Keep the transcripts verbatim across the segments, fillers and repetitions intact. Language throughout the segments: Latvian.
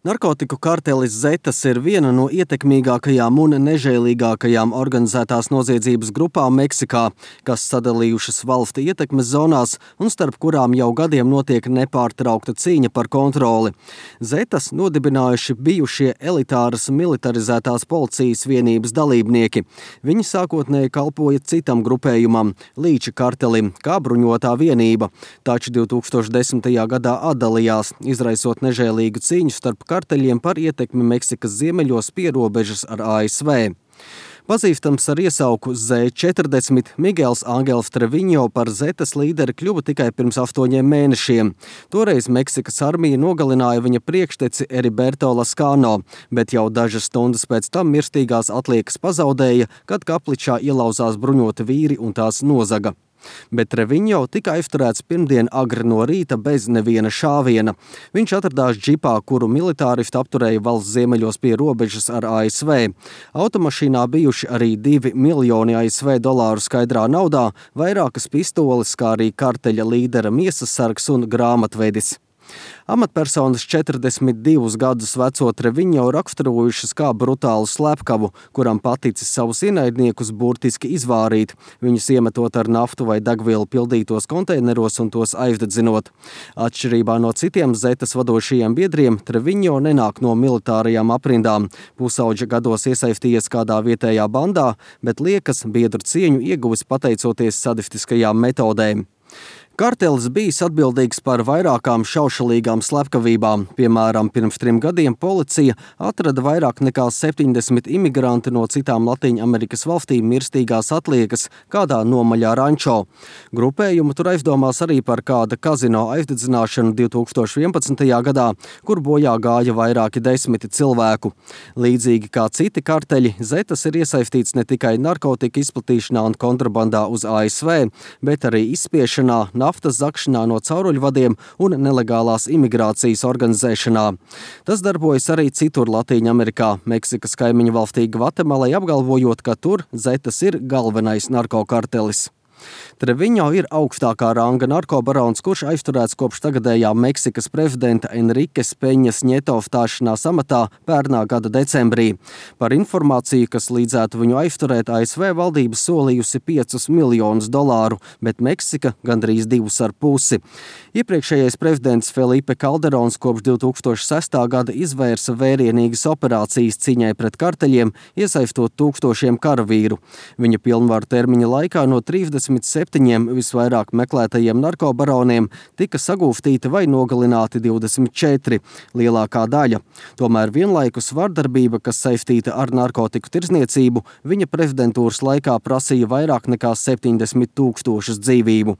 Narkotiku kartelis Zetas ir viena no ietekmīgākajām un nežēlīgākajām organizētās noziedzības grupām Meksikā, kas sadalījušas valsti ietekmes zonās un starp kurām jau gadiem notiek nepārtraukta cīņa par kontroli. Zetas nodibinājuši bijušie elitāras militarizētās policijas vienības dalībnieki. Viņi sākotnēji kalpoja citam grupējumam – Līča kartelim, kā bruņotā vienība, taču divtūkstoš desmitajā gadā atdalījās, izraisot nežēlīgu cīņu starp karteļiem par ietekmi Meksikas ziemeļos pie robežas ar A S V. Pazīstams ar iesauku Z četrdesmit, Migels Angels Treviņo par Zetas līderi kļuva tikai pirms astoņiem mēnešiem. Toreiz Meksikas armija nogalināja viņa priekšteci Heriberto Lascano, bet jau dažas stundas pēc tam mirstīgās atliekas pazaudēja, kad kapličā ielauzās bruņoti vīri un tās nozaga. Bet Treviņo tika aizturēts pirmdien agri no rīta bez neviena šāviena. Viņš atradās džipā, kuru militāristi apturēja valsts ziemeļos pie robežas ar A S V. Automašīnā bijuši arī divi miljoni A S V dolāru skaidrā naudā, vairākas pistoles, kā arī karteļa līdera miesas sargs un grāmatvedis. Amatpersonas četrdesmit divus gadus veco Treviņo raksturojušas kā brutālu slepkavu, kuram paticis savus ienaidniekus burtiski izvārīt, viņus iemetot ar naftu vai degvielu pildītos konteineros un tos aizdedzinot. Atšķirībā no citiem Zetas vadošajiem biedriem, Treviņo nenāk no militārajām aprindām. Pusauģa gados iesaistījies kādā vietējā bandā, bet liekas biedru cieņu ieguvis pateicoties sadistiskajām metodēm. Kartelis bijis atbildīgs par vairākām šaušalīgām slepkavībām. Piemēram, pirms trim gadiem policija atrada vairāk nekā septiņdesmit imigranti no citām Latīņamerikas valstīm mirstīgās atliekas kādā nomaļā rančo. Grupējumu tur aizdomās arī par kāda kazino aizdedzināšanu divtūkstoš vienpadsmitajā gadā, kur bojā gāja vairāki desmiti cilvēku. Līdzīgi kā citi karteļi, Zetas ir iesaistīts ne tikai narkotika izplatīšanā un kontrabandā uz A S V, bet arī izspiešanā, naftas zakšanā no cauruļvadiem un nelegālās imigrācijas organizēšanā. Tas darbojas arī citur Latīņamerikā, Meksikas kaimiņu valstī Gvatemalai apgalvojot, ka tur Zetas ir galvenais narkokartelis. Treviņo ir augstākā ranga narkobarons, kurš aizturēts kopš tagadējā Meksikas prezidenta Enriques Peņas Nieto stāšanās amatā pērnā gada decembrī. Par informāciju, kas līdzētu viņu aizturēt, A S V valdība solījusi piecus miljonus dolāru, bet Meksika gandrīz divus ar pusi. Iepriekšējais prezidents Felipe Calderons kopš divtūkstoš sestā gada izvērsa vērienīgas operācijas cīņai pret karteļiem, iesaistot tūkstošiem karavīru. Viņa pilnvaru termiņa laikā no trīsdesmit septiņiem visvairāk meklētajiem narkobaroniem tika sagūstīti vai nogalināti divdesmit četri, lielākā daļa. Tomēr vienlaikus vardarbība, kas saistīta ar narkotiku tirdzniecību, viņa prezidentūras laikā prasīja vairāk nekā septiņdesmit tūkstošus dzīvību.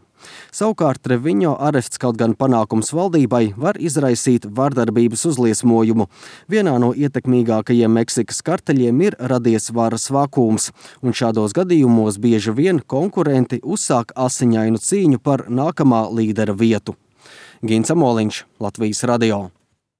Savukārt Treviņo arests kaut gan panākums valdībai var izraisīt vardarbības uzliesmojumu. Vienā no ietekmīgākajiem Meksikas karteļiem ir radies varas vakums, un šādos gadījumos bieži vien konkurenti uzsāk asiņainu cīņu par nākamā līdera vietu. Gins Amoliņš, Latvijas radio.